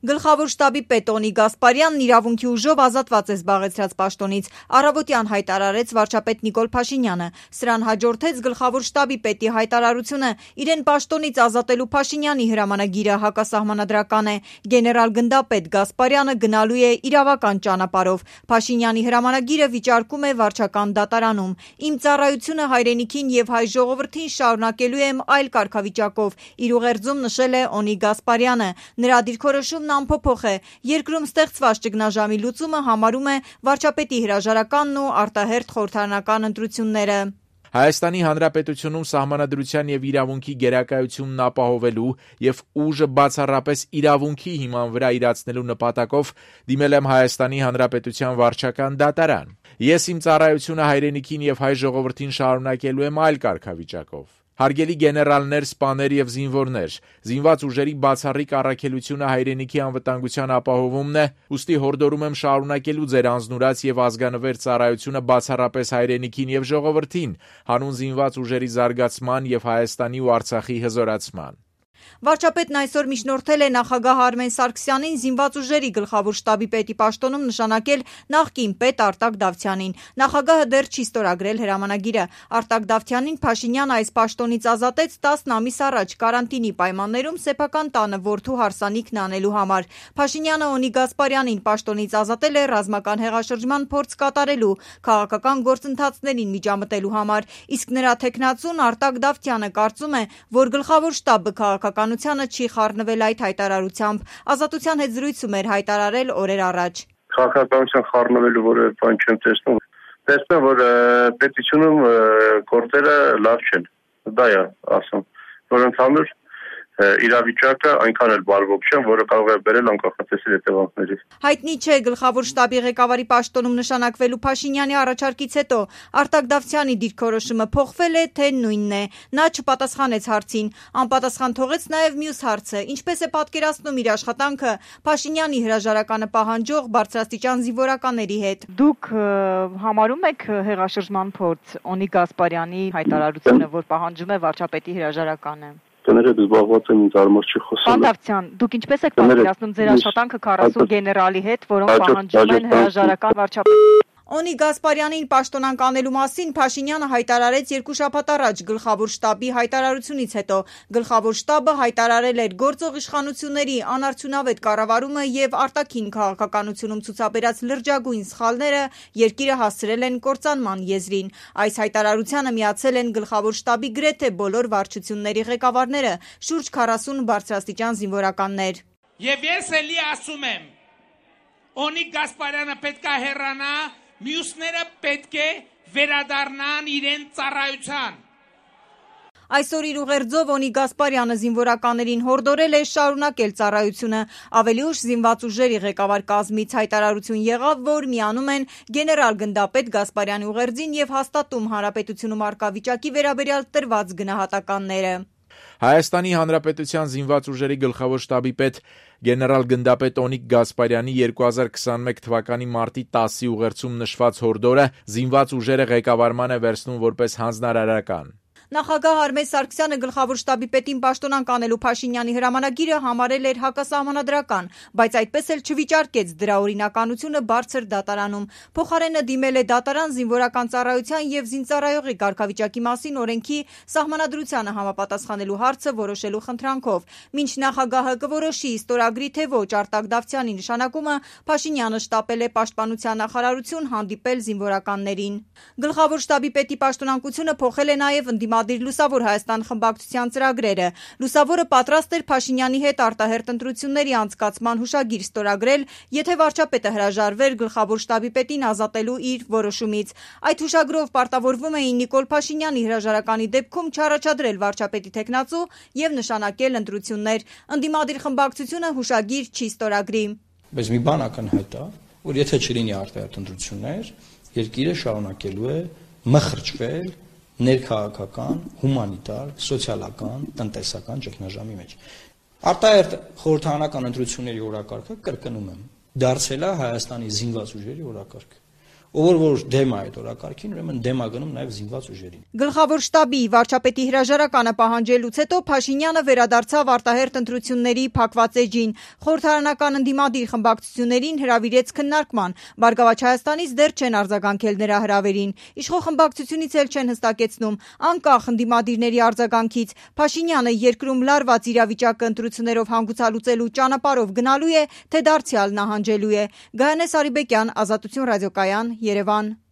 Գլխավոր շտաբի պետ Օնի Գասպարյանն իրավունքի ուժով ազատված է զբաղեցրած պաշտոնից, առավոտյան հայտարարեց վարչապետ Նիկոլ Փաշինյանը։ Սրան հաջորդեց գլխավոր շտաբի պետի հայտարարությունը, իրեն պաշտոնից ազատելու Փաշինյանի հրամանագիրը հակասահմանադրական է։ Գեներալ գնդապետ Գասպարյանը գնալու է իրավական ճանապարհով։ Փաշինյանի հրամանագիրը վիճարկում է վարչական դատարանում։ Իմ ծառայությունը հայրենիքին եւ հայ ժողովրդին շարունակելու եմ այլ կարգավիճակով, իր ուղերձում նշել է Օնի Գասպարյանը։ Նրա դիրքորոշումն անփոփոխ է։ Երկրում ստեղծված ճգնաժամի լուծումը համարում է վարչապետի հրաժարականն ու արտահերթ խորհրդարանական ընտրությունները։ Հայաստանի Հանրապետությունում սահմանադրության եւ իրավունքի գերակայությունն ապահովելու եւ ուժը բացառապես իրավունքի հիման վրա իրացնելու նպատակով դիմել եմ Հայաստանի Հանրապետության վարչական դատարան։ Ես իմ ծառայությունը հայրենիքին եւ հայ ժողովրդին շարունակելու եմ այլ կարգավիճակով։ Հարգելի գեներալներ, սպաներ եւ զինվորներ, զինված ուժերի բացառիկ առաքելությունը հայրենիքի անվտանգության ապահովումն է, ուստի հորդորում եմ շարունակելու ձեր անձնուրաց եւ ազգանվեր ծառայությունը բացառապես հայրենիքին եւ ժողովրդին, հանուն զինված ուժերի զարգացման եւ Հայաստանի ու Արցախի հզորացման։ Վարչապետն այսօր միջնորդել է նախագահ Արմեն Սարգսյանին զինված ուժերի գլխավոր շտաբի պետի պաշտոնում նշանակել նախկին պետ Արտակ Դավթյանին։ Նախագահը դեռ չի ստորագրել հրամանագիրը։ Արտակ Դավթյանին Փաշինյանը այս պաշտոնից ազատեց 10 ամիս առաջ կարանտինի պայմաններում սեփական տանը որդու հարսանիքն անելու համար։ Փաշինյանը Օնի Գասպարյանին պաշտոնից ազատել է ռազմական հեղաշրջման փորձ կատարելու, քաղաքական գործընթացներին միջամտելու համար, իսկ նրա թեկնածուն Արտակ Դավթյանը կարծում է, որ գլխավոր շտաբը քաղաքականությանը չի խառնվել այդ հայտարարությամբ։ Ազատության հետ զրույցում էր հայտարարել օրեր առաջ։ Քաղաքականության խառնվելու որևէ բան չեմ տեսնում։ Տեսնում որ պետությունում գործերը լավ չեն։ Դա է ասում, որ ընդհանուր իրավիճակը այնքան էլ բարվոք չէ, որը կարող է բերել անկախատեսելի հետևանքների։ Հայտնի չէ գլխավոր շտաբի ղեկավարի պաշտոնում նշանակվելու Փաշինյանի առաջարկից հետո Արտակ Դավթյանի դիրքորոշումը փոխվել է, թե նույնն է։ Նա չպատասխանեց հարցին, անպատասխան թողեց նաև մյուս հարցը, ինչպես է պատկերացնում իր աշխատանքը Փաշինյանի հրաժարականը պահանջող բարձրաստիճան զինվորականների հետ։ Դուք համարում եք հեղաշրջման փորձ Օնի Գասպարյանի հայտարարությունը, որ պահանջում է վարչապետի հրաժարականը։ Կներեք զբաղված եմ ինձ արմար չի խոսում։ Պարոն Դավթյան, դուք ինչպես եք պատկերացնում ձեր աշխատանքը 40 գեներալի հետ, որոնք պահանջում են հրաժարական վարչապետի։ Օնի Գասպարյանին պաշտոնանկ անելու մասին Փաշինյանը հայտարարեց 2 շաբաթ առաջ գլխավոր շտաբի հայտարարությունից հետո։ Գլխավոր շտաբը հայտարարել էր գործող իշխանությունների անարդյունավետ կառավարումը եւ արտաքին քաղաքականությունում ցուցաբերած լրջագույն սխալները երկիրը հասցրել են կործանման եզրին։ Այս հայտարարությանը միացել են գլխավոր շտաբի գրեթե բոլոր վարչությունների ղեկավարները, շուրջ 40 բարձրաստիճան զինվորականներ։ Եվ ես էլի ասում եմ, Օնի Գասպարյանը պետք է հեռանա, մյուսները պետք է վերադառնան իրեն ծառայության։ Այսօր իր ուղերձով Օնի Գասպարյանը զինվորականներին հորդորել է շարունակել ծառայությունը։ Ավելի ուշ զինված ուժերի ղեկավար կազմից հայտարարություն եղավ, որ միանում են գեներալ գնդապետ Գասպարյանի ուղերձին եւ հաստատում հանրապետությունում առկա վիճակի վերաբերյալ տրված գնահատականները։ Հայաստանի Հանրապետության զինված ուժերի գլխավոր շտաբի պետ գեներալ գնդապետ Օնիկ Գասպարյանի 2021 թվականի մարտի 10-ի ուղերձում նշված հորդորը զինված ուժերը ղեկավարման է վերցնում որպես հանձնարարական։ Նախագահ Արմեն Սարգսյանը գլխավոր շտաբի պետին պաշտոնանկ անելու Փաշինյանի հրամանագիրը համարել էր հակասահմանադրական, բայց այդպես էլ չվիճարկեց դրա օրինականությունը բարձր դատարանում։ Փոխարենը դիմել է դատարան զինվորական ծառայության եւ զինծառայողի կարգավիճակի մասին օրենքի սահմանադրությանը համապատասխանելու հարցը որոշելու խնդրանքով։ Մինչ նախագահը կորոշի ստորագրի թե ոչ Արտակ Դավթյանի նշանակումը, Փաշինյանը շտապել է պաշտպանության նախարարություն հանդիպել զինվորականներին։ Գլխավոր շտաբի պետի պաշտոնանկությունը փոխել է նաեւ ընդդիմադիր Լուսավոր Հայաստան խմբակցության ծրագրերը։ Լուսավորը պատրաստ էր Փաշինյանի հետ արտահերթ ընտրությունների անցկացման հուշագիր ստորագրել, եթե վարչապետը հրաժարվեր գլխավոր շտաբի պետին ազատելու իր որոշումից։ Այդ հուշագրով պարտավորվում էին Նիկոլ Փաշինյանի հրաժարականի դեպքում չառաջադրել վարչապետի թեկնածու եւ նշանակել ընտրություններ։ Ընդդիմադիր խմբակցությունը հուշագիր չի ստորագրի։ Բայց մի բան ակնհայտ է, որ եթե չլինի արտահերթ ընտրություններ, երկիրը շարունակելու է մխրճվել ներքաղաքական, հումանիտար, սոցիալական, տնտեսական ճգնաժամի մեջ։ Արտահերթ խորհրդարանական ընտրությունների օրակարգը կրկնում եմ, դարձել է Հայաստանի զինված ուժերի օրակարգ։ ով որ դեմ է այդ օրակարգին, ուրեմն դեմ է գնում նաև զինված ուժերին։ Գլխավոր շտաբի վարչապետի հրաժարականը պահանջելուց հետո Փաշինյանը վերադարձավ արտահերթ ընտրությունների փակված էջին։ Խորհրդարանական ընդդիմադիր խմբակցություններին հրավիրեց քննարկման։ Բարգավաճ Հայաստանից դեռ չեն արձագանքել նրա հրավերին։ Իշխող խմբակցությունից էլ չեն հստակեցնում, անկախ ընդդիմադիրների արձագանքից, Փաշինյանը երկրում լարված իրավիճակը ընտրություններով հանգուցալուծելու ճանապարհով գնալու է, թե դարձյալ նահանջելու է։ Գայանե Սարիբեկյան, Ազատություն ռադիոկայան, Երևան։